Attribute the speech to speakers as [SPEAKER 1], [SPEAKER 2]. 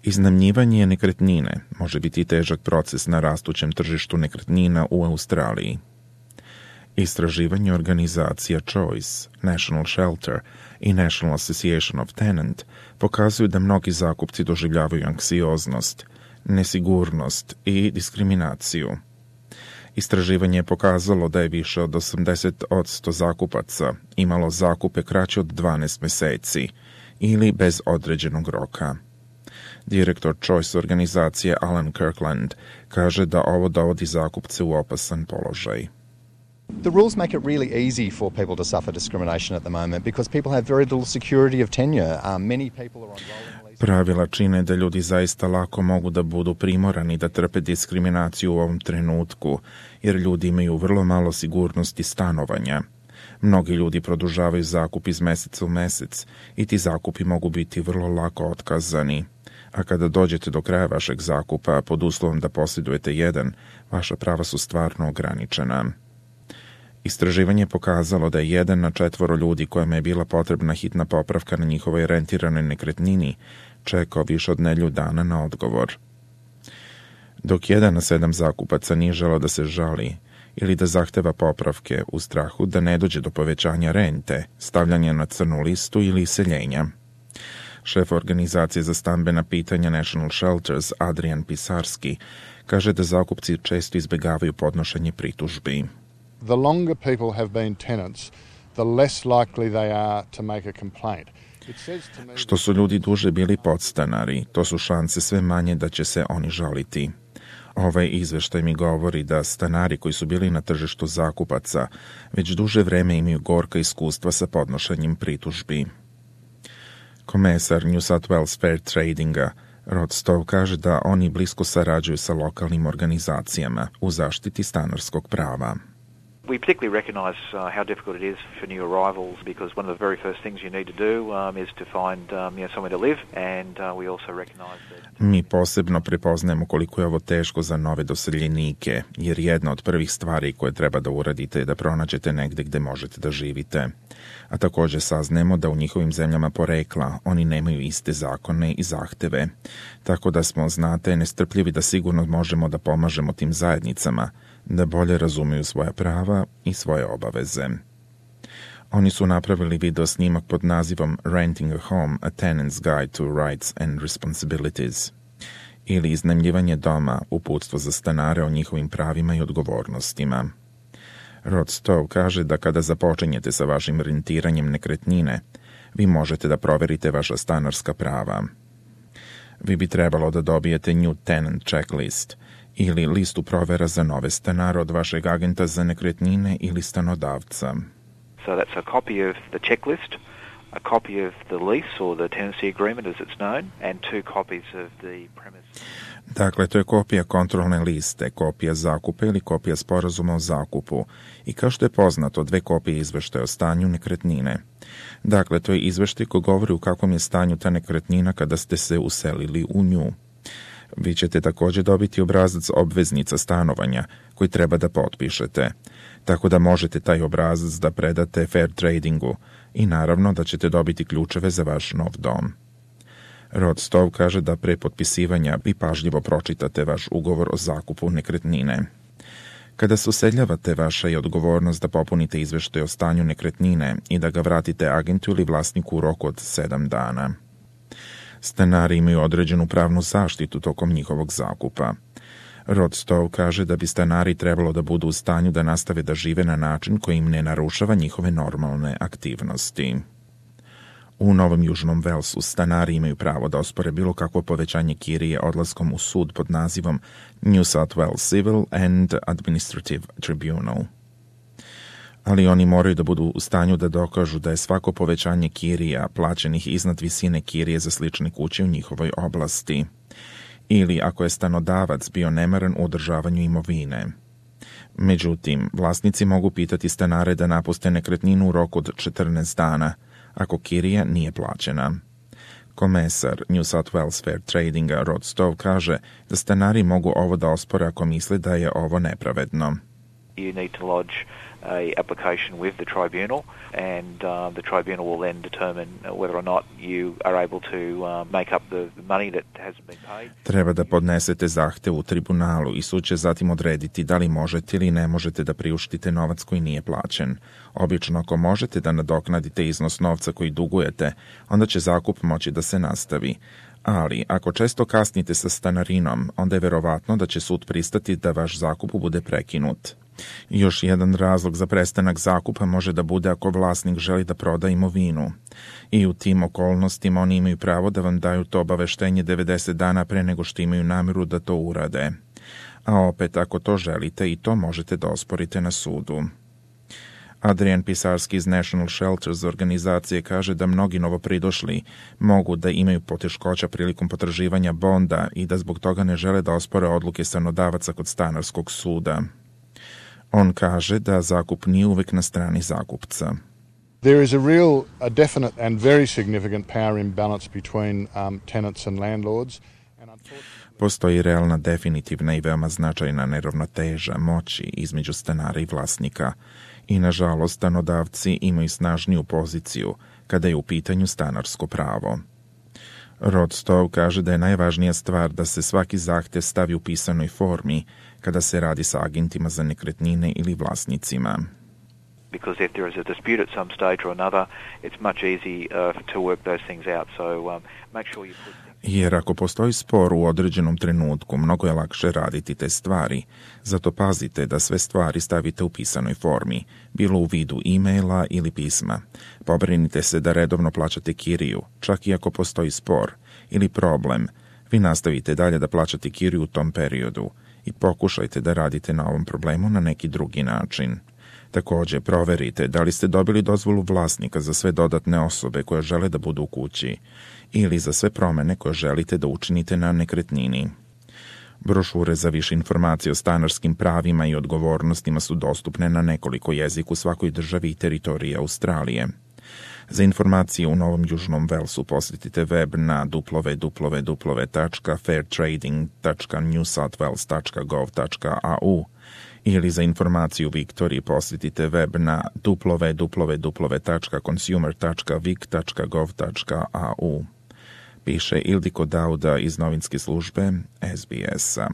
[SPEAKER 1] Iznajmljivanje nekretnine može biti težak proces na rastućem tržištu nekretnina u Australiji. Istraživanje organizacija Choice, National Shelter i National Association of Tenant pokazuju da mnogi zakupci doživljavaju anksioznost, nesigurnost i diskriminaciju. Istraživanje je pokazalo da je više od 80% zakupaca imalo zakupe kraće od 12 meseci ili bez određenog roka. Direktor Choice organizacije Alan Kirkland kaže da ovo dovodi zakupce u opasan položaj.
[SPEAKER 2] The rules make it really easy for people to suffer discrimination at the moment because people have very little security of tenure. Many people are on rolling leases.
[SPEAKER 1] Pravila čine da ljudi zaista lako mogu da budu primorani da trpe diskriminaciju u ovom trenutku, jer ljudi imaju vrlo malo sigurnosti stanovanja. Mnogi ljudi produžavaju zakup iz meseca u mesec i ti zakupi mogu biti vrlo lako otkazani. A kada dođete do kraja vašeg zakupa pod uslovom da posjedujete jedan, vaša prava su stvarno ograničena. Istraživanje je pokazalo da je 1 na 4 ljudi kojima je bila potrebna hitna popravka na njihovoj rentiranoj nekretnini čekao više od nedelju dana na odgovor. Dok 1 na 7 zakupaca nije želeo da se žali ili da zahteva popravke u strahu da ne dođe do povećanja rente, stavljanja na crnu listu ili iseljenja. Šef organizacije za stambena pitanja National Shelters, Adrian Pisarski, kaže da zakupci često izbjegavaju podnošenje pritužbi.
[SPEAKER 3] The longer people have been tenants, the less likely they are to make a complaint.
[SPEAKER 1] Što su ljudi duže bili podstanari, to su šanse sve manje da će se oni žaliti. Ovaj izveštaj mi govori da stanari koji su bili na tržištu zakupaca već duže vreme imaju gorka iskustva sa podnošenjem pritužbi. Komesar New South Wales Fair Tradinga Rod Stowe kaže da oni blisko sarađuju sa lokalnim organizacijama u zaštiti stanarskog prava.
[SPEAKER 4] We particularly recognise how difficult it is for new arrivals because one of the very first things you need to do is to find somewhere to live, and we also recognise that.
[SPEAKER 1] Mi posebno prepoznajemo koliko je ovo teško za nove doseljenike, jer jedna od prvih stvari koje treba da uradite je da pronađete negde gde možete da živite. A također saznajemo da u njihovim zemljama porekla oni nemaju iste zakone i zahteve, tako da smo, znate, nestrpljivi da sigurno možemo da pomažemo tim zajednicama, da bolje razumiju svoja prava i svoje obaveze. Oni su napravili video snimak pod nazivom Renting a Home, a Tenant's Guide to Rights and Responsibilities, ili iznajmljivanje doma, uputstvo za stanare o njihovim pravima i odgovornostima. Rod Stowe kaže da kada započinjete sa vašim rentiranjem nekretnine, vi možete da proverite vaša stanarska prava. Vi bi trebalo da dobijete New Tenant Checklist ili listu provera za nove stanare od vašeg agenta za nekretnine ili stanodavca.
[SPEAKER 4] So that's a copy of the checklist, a copy of the lease or the tenancy agreement as it's known, and 2 copies of the premise.
[SPEAKER 1] Dakle, to je kopija kontrolne liste, kopija zakupa ili kopija sporazuma o zakupu i kao što je poznato, 2 kopije izveštaja o stanju nekretnine. Dakle, to je izveštaj koji govori u kakvom je stanju ta nekretnina kada ste se uselili u nju. Vi ćete također dobiti obrazac obveznica stanovanja koji treba da potpišete, tako da možete taj obrazac da predate Fair Tradingu i naravno da ćete dobiti ključeve za vaš nov dom. Rod Stowe kaže da pre potpisivanja vi pažljivo pročitate vaš ugovor o zakupu nekretnine. Kada se useljavate, vaša je odgovornost da popunite izveštaj o stanju nekretnine i da ga vratite agentu ili vlasniku u roku od 7 dana. Stanari imaju određenu pravnu zaštitu tokom njihovog zakupa. Rod Stowe kaže da bi stanari trebalo da budu u stanju da nastave da žive na način koji im ne narušava njihove normalne aktivnosti. U Novom Južnom Velsu stanari imaju pravo da ospore bilo kakvo povećanje kirije odlaskom u sud pod nazivom New South Wales Civil and Administrative Tribunal. Ali oni moraju da budu u stanju da dokažu da je svako povećanje kirija plaćenih iznad visine kirije za slične kuće u njihovoj oblasti, ili ako je stanodavac bio nemaran u održavanju imovine. Međutim, vlasnici mogu pitati stanare da napuste nekretninu u roku od 14 dana, ako kirija nije plaćena. Komesar New South Wales Fair Tradinga Rod Stowe kaže da stanari mogu ovo da ospore ako misle da je ovo nepravedno.
[SPEAKER 4] you need to lodge a application with the tribunal, and the tribunal will then determine whether or not you are able to make up the money that hasn't been paid.
[SPEAKER 1] Treba da podnesete zahtev u tribunalu i sud će zatim odrediti da li možete ili ne možete da priuštite novac koji nije plaćen. Obično, ako možete da nadoknadite iznos novca koji dugujete, onda će zakup moći da se nastavi. Ali, ako često kasnite sa stanarinom, onda je verovatno da će sud pristati da vaš zakup bude prekinut. Još jedan razlog za prestanak zakupa može da bude ako vlasnik želi da proda imovinu. I u tim okolnostima oni imaju pravo da vam daju to obaveštenje 90 dana pre nego što imaju namjeru da to urade. A opet, ako to želite, i to možete da osporite na sudu. Adrian Pisarski iz National Shelters organizacije kaže da mnogi novopridošli mogu da imaju poteškoća prilikom potraživanja bonda i da zbog toga ne žele da ospore odluke stanodavaca kod stanarskog suda. On kaže da zakup nije uvek na strani zakupca.
[SPEAKER 3] There is a definite and very significant power imbalance between tenants and landlords.
[SPEAKER 1] Postoji realna, definitivna i veoma značajna neravnoteža moći između stanara i vlasnika. I, nažalost, stanodavci imaju snažniju poziciju kada je u pitanju stanarsko pravo. Rod Stowe kaže da je najvažnija stvar da se svaki zahtev stavi u pisanoj formi kada se radi sa agentima za nekretnine ili vlasnicima.
[SPEAKER 4] Because if there is a dispute at some stage or another, it's much easy to work those things out. So make sure you put...
[SPEAKER 1] Jer ako postoji spor u određenom trenutku, mnogo je lakše raditi te stvari. Zato pazite da sve stvari stavite u pisanoj formi, bilo u vidu e-maila ili pisma. Pobrinite se da redovno plaćate kiriju, čak i ako postoji spor ili problem. Vi nastavite dalje da plaćate kiriju u tom periodu i pokušajte da radite na ovom problemu na neki drugi način. Također, proverite da li ste dobili dozvolu vlasnika za sve dodatne osobe koje žele da budu u kući ili za sve promene koje želite da učinite na nekretnini. Brošure za više informacije o stanarskim pravima i odgovornostima su dostupne na nekoliko jezika u svakoj državi i teritoriji Australije. Za informacije u Novom Južnom Velsu posjetite web na www.fairtrading.newsouthwales.gov.au ili za informaciju u Viktoriji posjetite web na www.consumer.vic.gov.au. Piše Ildiko Dauda iz novinske službe SBS-a.